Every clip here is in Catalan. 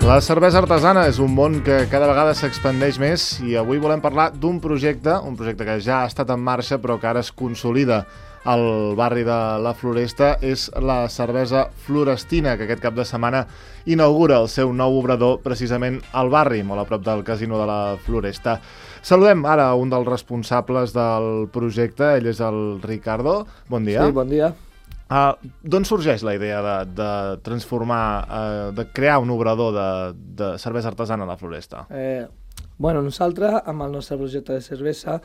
La cervesa artesana és un món que cada vegada s'expandeix més i avui volem parlar d'un projecte que ja ha estat en marxa però que ara es consolida al barri de la Floresta. És la cervesa Florestina, que aquest cap de setmana inaugura el seu nou obrador precisament al barri, molt a prop del casino de la Floresta. Saludem ara un dels responsables del projecte, ell és el Ricardo. Bon dia. Sí, bon dia. D'on sorgeix la idea de transformar, de crear un obrador de cervesa artesana a la Floresta? Nosaltres, amb el nostre projecte de cervesa,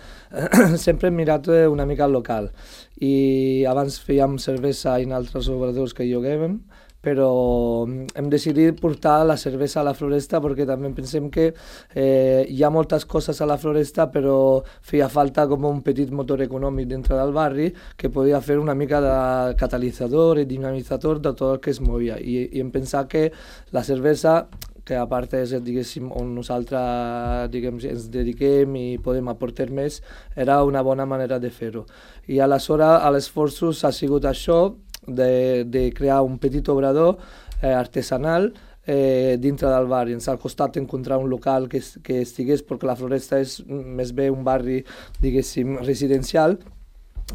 sempre hem mirat una mica al local. I abans fèiem cervesa en altres obradors que lloguem, però hem decidit portar la cervesa a la Floresta perquè també pensem que hi ha moltes coses a la Floresta, però feia falta com un petit motor econòmic dintre del barri que podia fer una mica de catalitzador i dinamitzador de tot el que es movia. I hem pensat que la cervesa, que a part és, diguéssim, on nosaltres ens dediquem i podem aportar més, era una bona manera de fer-ho. I aleshores l'esforç ha sigut això, de crear un petit obrador artesanal dintre del barri. Ens ha costat encontrar un local que estigués, perquè la Floresta és més bé un barri, diguéssim, residencial,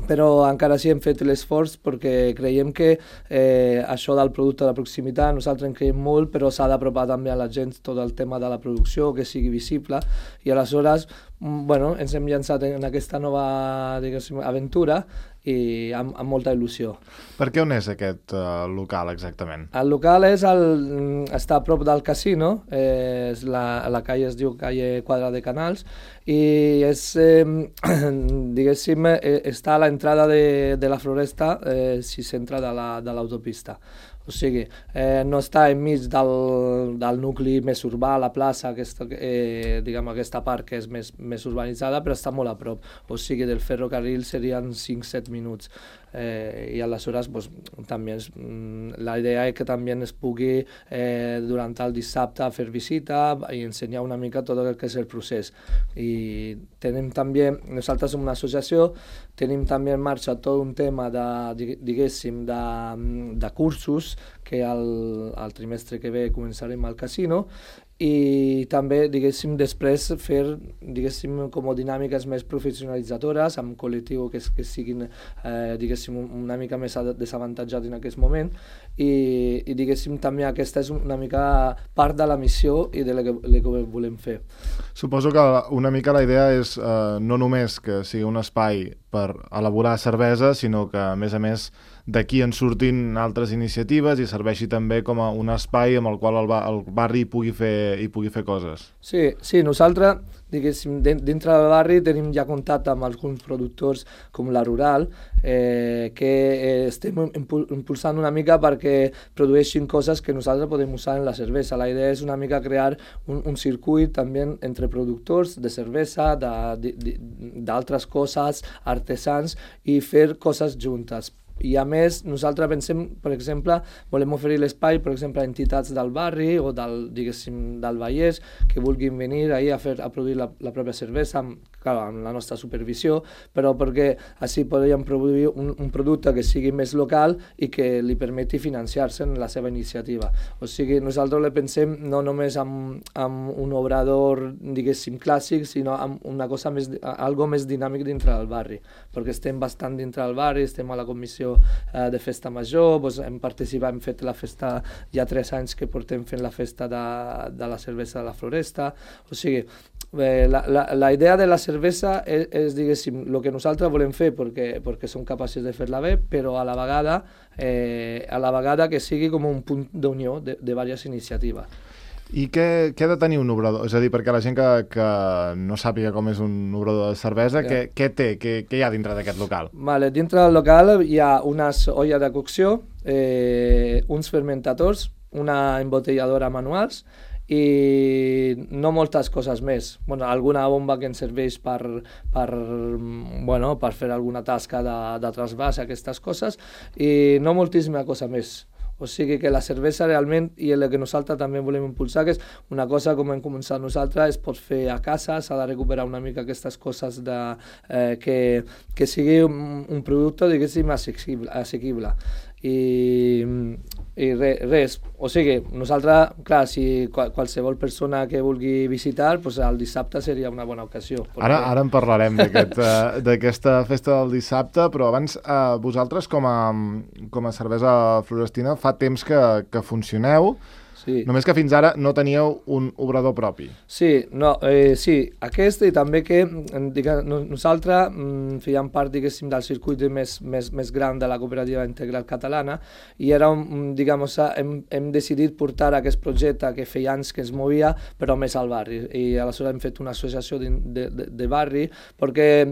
però encara sí hem fet l'esforç perquè creiem que això del producte de proximitat nosaltres en creiem molt, però s'ha d'apropar també a la gent tot el tema de la producció, que sigui visible, i aleshores ens hem llançat en aquesta nova, diguéssim, aventura i amb molta il·lusió. Per què on és aquest local exactament? El local està a prop del casino, la calle es diu calle Quadra de Canals, i és, diguéssim, està a l'entrada de la Floresta, si s'entra de l'autopista. O sigui, no està enmig del nucli més urbà, la plaça, aquesta part que és més urbanitzada, però està molt a prop. O sigui, del ferrocarril serien 5-7 minuts. I aleshores també la idea és que també es pugui durant el dissabte fer visita i ensenyar una mica tot el que és el procés. I tenim també, nosaltres som una associació, tenim també en marxa tot un tema diguéssim de cursos que al trimestre que ve començarem al casino, i també, diguéssim, després fer, diguéssim, com dinàmiques més professionalitzadores amb col·lectiu que siguin, diguéssim, una mica més desavantatjat en aquest moment, i diguéssim, també aquesta és una mica part de la missió i de la que volem fer. Suposo que una mica la idea és no només que sigui un espai per elaborar cervesa, sinó que, a més, d'aquí en surtin altres iniciatives i serveixi també com a un espai amb el qual el barri pugui fer coses. Sí, nosaltres, diguéssim, dintre del barri tenim ja contacte amb alguns productors com la Rural, que estem impulsant una mica perquè produeixin coses que nosaltres podem usar en la cervesa. La idea és una mica crear un circuit també entre productors de cervesa, d'altres coses, artesans, i fer coses juntes. I a més, nosaltres pensem, per exemple, volem oferir l'espai, per exemple, a entitats del barri o del Vallès que vulguin venir a produir la pròpia cervesa, amb la nostra supervisió, però perquè així podríem produir un producte que sigui més local i que li permeti financiar-se en la seva iniciativa. O sigui, nosaltres le pensem no només amb un obrador, diguéssim, clàssic, sinó amb una cosa algo més dinàmic dintre del barri, perquè estem bastant dintre del barri, estem a la comissió de festa major, hem participat, hem fet la festa, hi ha 3 anys que portem fent la festa de la cervesa de la Floresta. O sigui, la idea de la cervesa és, diguéssim, el que nosaltres volem fer perquè som capaços de fer-la bé, però a la vegada que sigui com un punt d'unió de diverses iniciatives. I què ha de tenir un obrador? És a dir, perquè la gent que no sàpiga com és un obrador de cervesa, què té? Què hi ha dintre d'aquest local? Dintre del local hi ha unes olles de cocció, uns fermentadors, una embotelladora manuals i no moltes coses més. Alguna bomba que ens serveix per fer alguna tasca de trasbàs, aquestes coses, i no moltíssima cosa més. O sigui que la cervesa realment, i el que nosaltres també volem impulsar, que és una cosa com hem començat nosaltres, es pot fer a casa, s'ha de recuperar una mica aquestes coses que sigui un producte, diguéssim, assequible. I res, o sigui, nosaltres, clar, si qualsevol persona que vulgui visitar, doncs el dissabte seria una bona ocasió. Ara en parlarem d'aquesta festa del dissabte, però abans vosaltres com a cervesa florestina fa temps que funcioneu. Sí. Només que fins ara no teníeu un obrador propi. Sí, sí, aquest i també que nosaltres fèiem part, diguéssim, del circuit més gran de la cooperativa integral catalana i era, hem decidit portar aquest projecte que feia anys que es movia, però més al barri. I aleshores hem fet una associació de barri perquè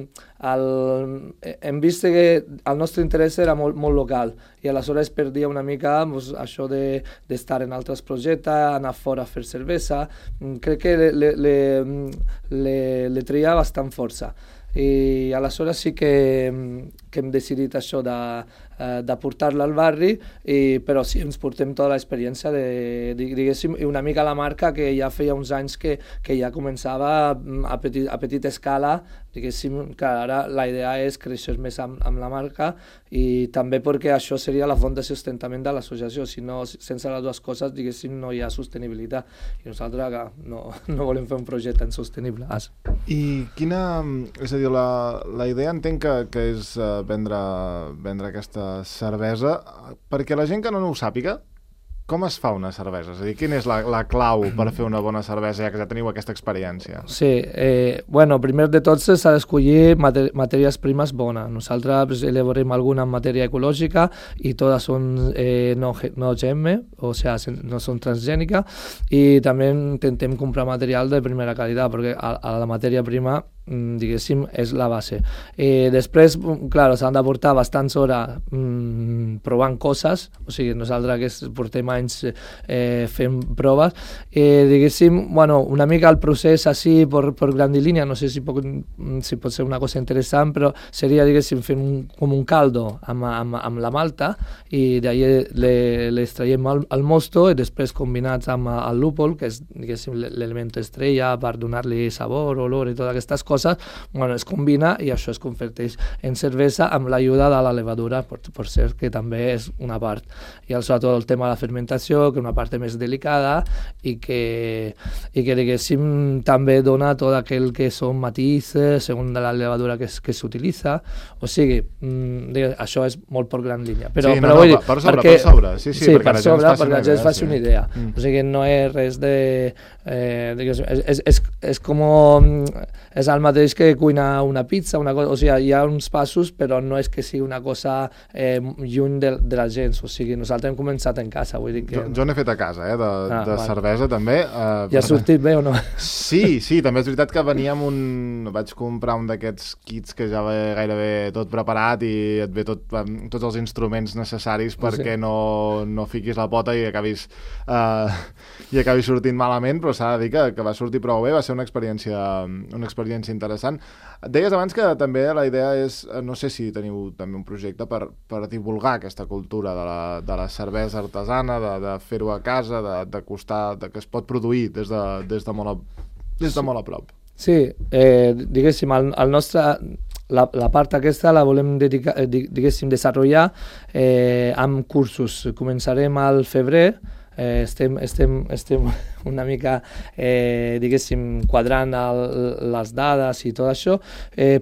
hem vist que el nostre interès era molt local i aleshores perdia una mica això d'estar en altres projectes, anar fora a fer cervesa. Crec que le treia bastant força. I aleshores sí que hem decidit això de portar-la al barri, però sí, ens portem tota l'experiència diguéssim, i una mica la marca que ja feia uns anys que ja començava a petita escala, diguéssim, que ara la idea és créixer més amb la marca i també perquè això seria la font de sustentament de l'associació, si no, sense les dues coses, diguéssim, no hi ha sostenibilitat i nosaltres no volem fer un projecte insostenible. I quina, és a dir, la idea entenc que és vendre aquesta cervesa, perquè la gent que no ho sàpiga, com es fa una cervesa? És a dir, quina és la clau per fer una bona cervesa, ja que ja teniu aquesta experiència? Sí, bueno, primer de tot s'ha d'escollir matèries primes bones. Nosaltres elaborem alguna en matèria ecològica i totes són no GM, o sigui, no són transgèniques, i també intentem comprar material de primera qualitat, perquè a la matèria prima diguéssim, és la base. Després, clar, s'han de portar bastants hores provant coses, o sigui, nosaltres que portem anys fent proves, diguéssim, bueno, una mica el procés així per grandilínia, no sé si pot ser una cosa interessant, però seria, diguéssim, fent com un caldo amb la malta i d'ahir l'extraiem al mosto i després combinats amb el lúpol, que és, diguéssim, l'element estrella per donar-li sabor, olor i totes aquestes coses, bueno, es combina i això es converteix en cervesa amb l'ajuda de la levadura, per cert, que també és una part. I sobretot el tema de la fermentació, que és una part més delicada i que diguéssim, també dona tot aquell que són matices segons de la levadura que s'utilitza. O sigui, això és molt per gran línia. Però vull dir, per sobre. Sí, per sobre, perquè la gent es faci una idea. O sigui, no és res de... és com... és el mateix que cuinar una pizza, una cosa, o sigui, hi ha uns passos, però no és que sigui una cosa lluny de la gent, o sigui, nosaltres hem començat en casa, vull dir que... Jo n'he fet a casa, de cervesa també. I ha sortit bé o no? Sí, també és veritat que vaig comprar un d'aquests kits que ja ve gairebé tot preparat i et ve tots els instruments necessaris perquè no fiquis la pota i acabis sortint malament, però s'ha de dir que va sortir prou bé, va ser una experiència interessant. Deies abans que també la idea és, no sé si teniu també un projecte per divulgar aquesta cultura de la cervesa artesana, de fer-ho a casa, d'acostar, que es pot produir des de molt a prop. Sí, diguéssim, la part aquesta la volem dedicar, diguéssim, desenvolupar amb cursos. Començarem al febrer, estem una mica, diguéssim, quadrant les dades i tot això,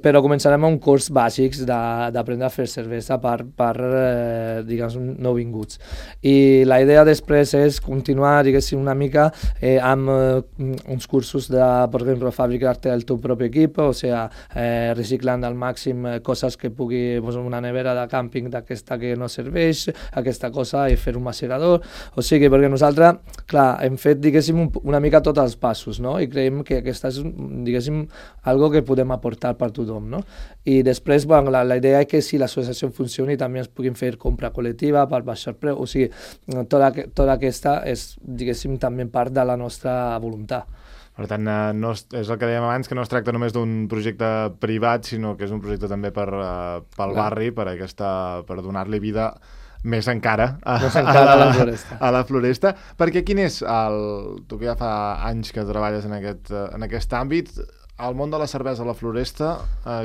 però començarem amb un curs bàsics d'aprendre a fer cervesa per diguem, nouvinguts. I la idea després és continuar, diguéssim, una mica amb uns cursos per exemple, fabricar-te el teu propi equip, o sigui, reciclant al màxim coses que pugui, una nevera de càmping d'aquesta que no serveix, aquesta cosa, i fer un macerador, o sigui, perquè nosaltres, clar, hem fet, diguéssim, una mica tots els passos, no? I creiem que aquesta és, diguéssim, algo que podem aportar per tothom, no? I després, bueno, la idea és que si l'associació funcioni també es puguin fer compra col·lectiva per baixar preu, o sigui, tota aquesta és, diguéssim, també part de la nostra voluntat. Per tant, és el que dèiem abans, que no es tracta només d'un projecte privat, sinó que és un projecte també pel barri, per donar-li vida més encara a la Floresta. Perquè quin és tu que ja fa anys que treballes en aquest àmbit, el món de la cervesa a la Floresta,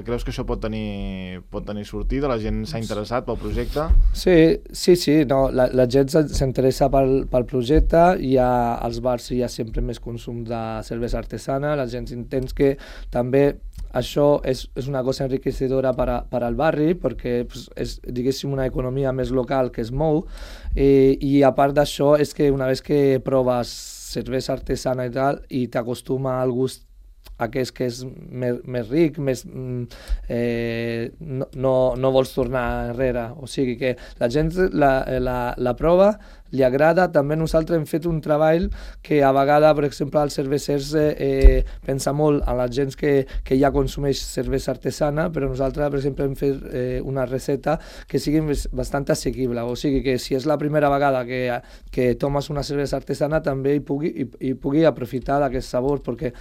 creus que això pot tenir sortida? La gent s'ha interessat pel projecte? Sí, no, la gent s'interessa pel projecte, als bars hi ha sempre més consum de cervesa artesana, la gent entén que també això és una cosa enriquecedora per al barri, perquè és, diguéssim, una economia més local que es mou, i a part d'això és que una vegada que proves cervesa artesana i tal, i t'acostuma al gust aquest que és més ric, no vols tornar enrere. O sigui que la gent la prova, li agrada. També nosaltres hem fet un treball que a vegades, per exemple, els cervesers pensa molt en la gent que ja consumeix cervesa artesana, però nosaltres, per exemple, hem fet una recepta que sigui bastant assequible. O sigui que si és la primera vegada que tomes una cervesa artesana, també hi pugui aprofitar d'aquest sabor, perquè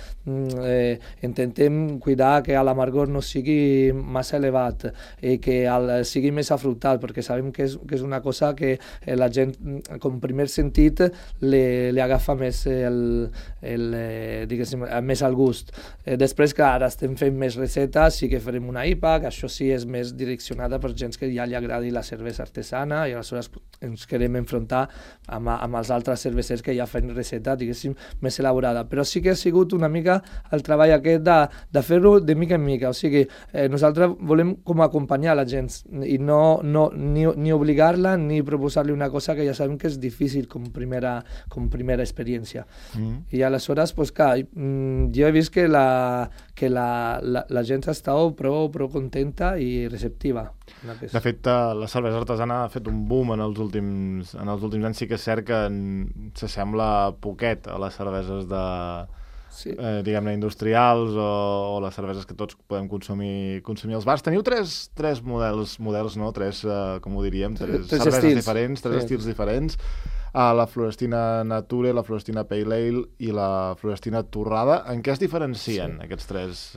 intentem cuidar que l'amargor no sigui massa elevat i que sigui més afrutat, perquè sabem que és una cosa que la gent, com primer sentit, li agafa més més al gust. Després, que ara estem fent més recetes, sí que farem una IPA, que això sí és més direccionada per gent que ja li agradi la cervesa artesana, i aleshores ens querem enfrontar amb els altres cervesers que ja fan receta, diguéssim, més elaborada. Però sí que ha sigut una mica el treball aquest de fer-ho de mica en mica. O sigui, nosaltres volem com acompanyar la gent i ni obligar-la ni proposar-li una cosa que ja sabem que és difícil com primera experiència. I aleshores, pues, clar, jo he vist que la gent està prou contenta i receptiva. De fet, la cervesa artesana ha fet un boom en els últims anys. Sí que és cert que s'assembla poquet a les cerveses diguem-ne, industrials o les cerveses que tots podem consumir als bars. Teniu tres models, no? Com ho diríem, tres cerveses diferents, tres estils diferents. La Florestina Nature, la Florestina Pale Ale i la Florestina Torrada. En què es diferencien aquests tres?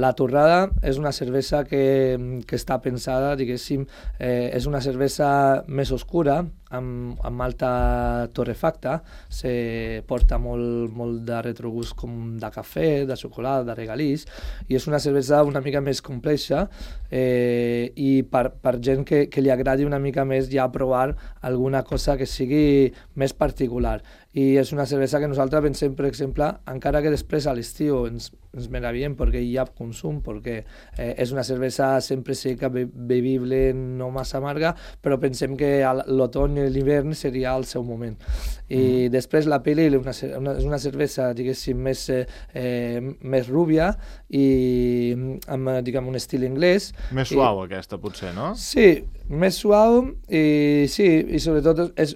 La Torrada és una cervesa que està pensada, diguéssim, és una cervesa més oscura, amb alta torrefacta, se porta molt de retrogust com de cafè, de xocolata, de regalís, i és una cervesa una mica més complexa, i per gent que li agradi una mica més ja provar alguna cosa que sigui més particular. I és una cervesa que nosaltres pensem, per exemple, encara que després a l'estiu ens meravillem perquè hi ha consum, perquè és una cervesa sempre seca, bevible, no massa amarga, però pensem que l'otoñ i l'hivern seria el seu moment. I després la Pale Ale és una cervesa, diguéssim, més rúbia i amb, diguem, un estil anglès. Més suau aquesta, potser, no? Sí, més suau i sobretot és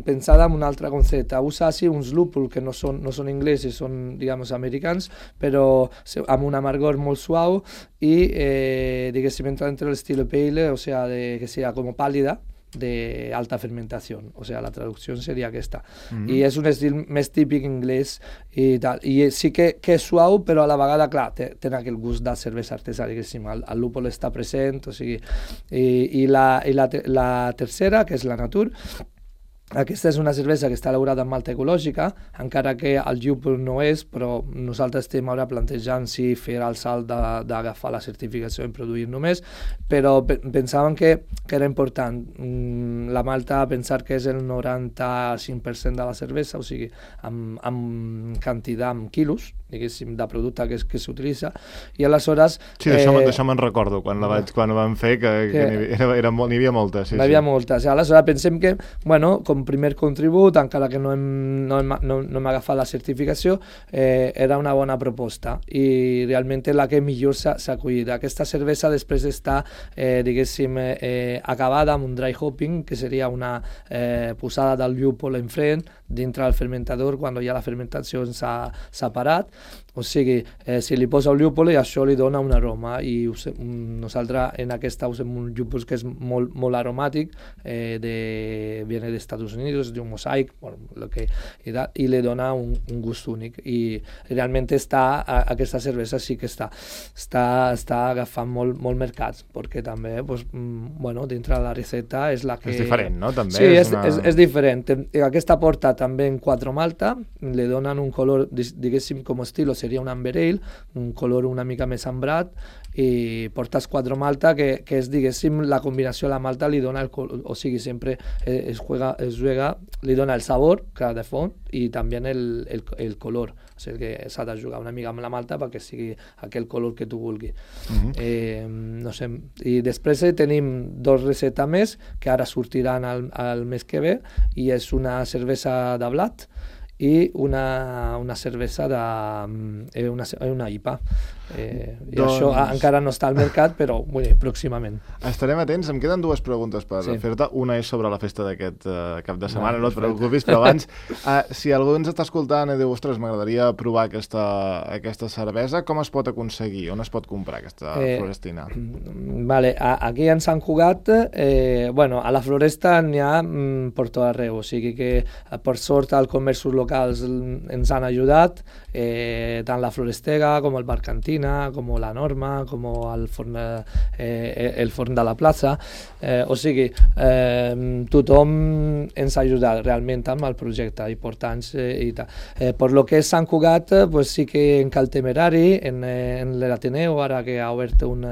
pensada en un altre concepte. Usa uns lúpuls que no són inglesos, són, diguem, americans, però amb un amargor molt suau i, diguéssim, entra entre l'estil pale, o sea, que sea como pálida, de alta fermentación, o sea, la traducción sería aquesta. I és un estil més típic anglès i tal, i sí que és suau, però a la vegada, clar, té aquell gust de cervesa artesana, diguéssim, el lúpol està present, o sigui, i la tercera, que és la Nature. Aquesta és una cervesa que està elaborada amb malta ecològica, encara que el llúpol no és, però nosaltres estem ara plantejant si fer el salt d'agafar la certificació i produir només, però pensàvem que era important la malta, pensar que és el 95% de la cervesa, o sigui, amb quantitat, amb quilos, diguéssim, de producte que s'utilitza, i aleshores... Sí, d'això me'n recordo, quan vam fer, que n'hi havia moltes. N'hi havia moltes. Aleshores pensem que, bueno, com primer contribut, encara que no hem agafat la certificació, era una bona proposta, i realment la que millor s'ha acollit. Aquesta cervesa després està, diguéssim, acabada amb un dry hopping, que seria una posada del llúpol enfront, dintre del fermentador, quan ja la fermentació s'ha parat. O sigui, si li posa el llúpol, això li dona un aroma, i nosaltres en aquesta usem un llúpol que és molt aromàtic, viene d'Estats Estados Unidos, es de un mosaic, bueno, i li dona un gust únic. I realment aquesta cervesa sí que està agafant molt mercats, perquè també, pues, bueno, dintre de la recepta és la que... És diferent, no? També sí, és diferent. Aquesta porta també en 4 malta, li donen un color, diguéssim, com estilo seria un amber ale, un color una mica més ambrat, i portes 4 malta que és, diguéssim, la combinació de la malta li dona el color, o sigui, sempre es juega, li dona el sabor, clar, de font, i també el color. O sigui que s'ha de jugar una mica amb la malta perquè sigui aquell color que tu vulguis. No sé, i després tenim 2 receptes més que ara sortiran el mes que ve, i és una cervesa de blat i una cervesa una IPA. I això encara no està al mercat, però pròximament. Estarem atents. Em queden 2 preguntes per fer-te. Una és sobre la festa d'aquest cap de setmana, no et preocupis, però abans, si algú ens està escoltant i diu, ostres, m'agradaria provar aquesta cervesa, com es pot aconseguir? On es pot comprar aquesta Florestina? Vale, aquí en Sant Cugat, bueno, a la Floresta n'hi ha per tot arreu, o sigui que per sort els comerços locals ens han ajudat, tant la Florestega com el Bar Cantina, com la Norma, com el forn de la plaça, o sigui, tothom ens ha ajudat realment amb el projecte, importants i tal. Per lo que és Sant Cugat, pues sí que en Cal Temerari, en l'Ateneu, ara que ha obert un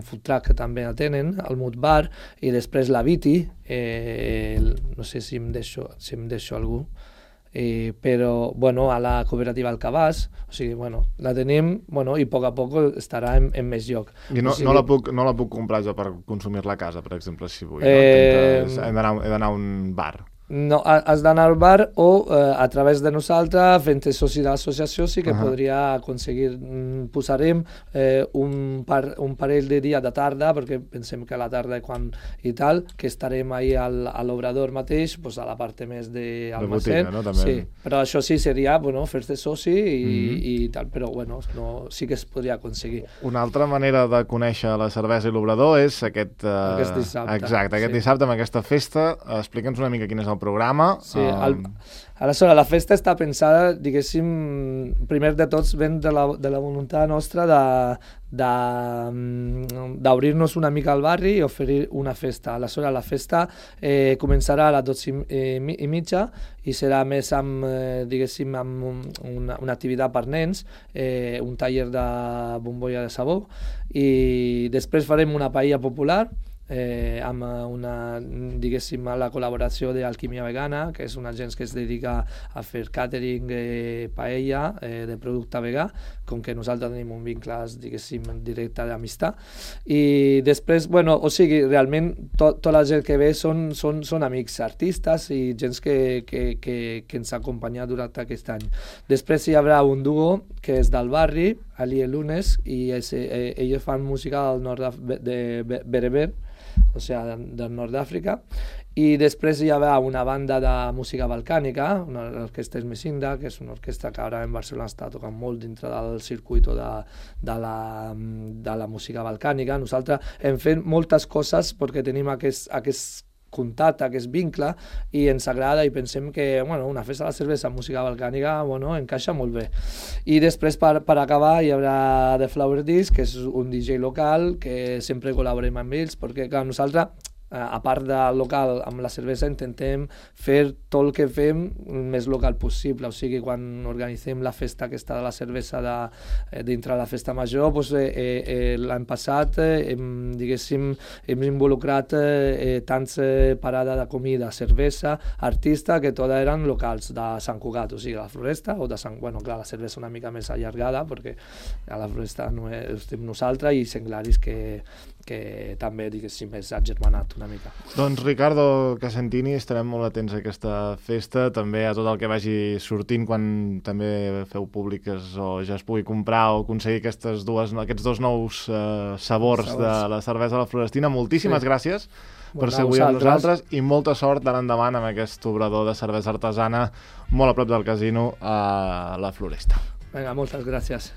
food truck que també tenen, el Mut Bar, i després la Viti, no sé si em deixo algú, però bueno, a la cooperativa Alcabàs, o sigui, bueno, la tenim, bueno, i a poc estarà en més lloc. I no la puc comprar jo per consumir-la a casa, per exemple, si vull, he d'anar a un bar. No, has d'anar al bar o a través de nosaltres, fent-te soci de l'associació, sí que podria aconseguir. Posarem un parell de dies de tarda, perquè pensem que a la tarda i tal, que estarem ahí a l'obrador mateix, a la part més d'almacén. Sí, però això sí seria fer-te soci i tal, però bueno, sí que es podria aconseguir. Una altra manera de conèixer la cervesa i l'obrador és aquest dissabte. Exacte, aquest dissabte amb aquesta festa. Explica'ns una mica quin és el programa. Sí, aleshores, la festa està pensada, diguéssim, primer de tots ven de la voluntat nostra d'obrir-nos una mica al barri i oferir una festa. Aleshores, la festa començarà a les 12:30 i serà més amb, diguéssim, amb una activitat per nens, un taller de bombolla de sabó, i després farem una paella popular, amb diguéssim, la col·laboració d'Alquímia Vegana, que és una gent que es dedica a fer catering, paella, de producte vegà, com que nosaltres tenim un vincle, diguéssim, directe d'amistat. I després, bueno, o sigui, realment tota la gent que ve són amics artistes i gent que ens ha acompanyat durant aquest any. Després hi haurà un duo que és del barri, Ali i Lunes, i ells fan música del nord de Bereber, o sigui, del nord d'Àfrica, i després hi haurà una banda de música balcànica, una orquestra Esmesinda, que és una orquestra que ara en Barcelona està tocant molt dintre del circuit de la música balcànica. Nosaltres hem fet moltes coses perquè tenim aquest contacte, aquest vincle, i ens agrada i pensem que una festa de la cervesa amb música balcànica encaixa molt bé. I després, per acabar, hi haurà The Flower Disc, que és un DJ local, que sempre col·laborem amb ells, perquè clar, nosaltres, a part del local, amb la cervesa intentem fer tot el que fem més local possible. O sigui, quan organitzem la festa aquesta de la cervesa dintre de la festa major, l'any passat hem involucrat tants parades de comida, cervesa, artista, que totes eren locals de Sant Cugat, o sigui, la Floresta, o de Sant... Bueno, clar, la cervesa una mica més allargada, perquè a la Floresta no estem nosaltres, i Senglaris, que també, diguéssim, és agermanat una mica. Doncs Ricardo Casentini, estarem molt atents a aquesta festa, també a tot el que vagi sortint quan també feu públiques o ja es pugui comprar o aconseguir aquests 2 nous sabors de la cervesa de la Florestina. Moltíssimes gràcies per ser avui amb nosaltres i molta sort d'ara endavant amb aquest obrador de cervesa artesana molt a prop del casino a la Floresta. Vinga, moltes gràcies.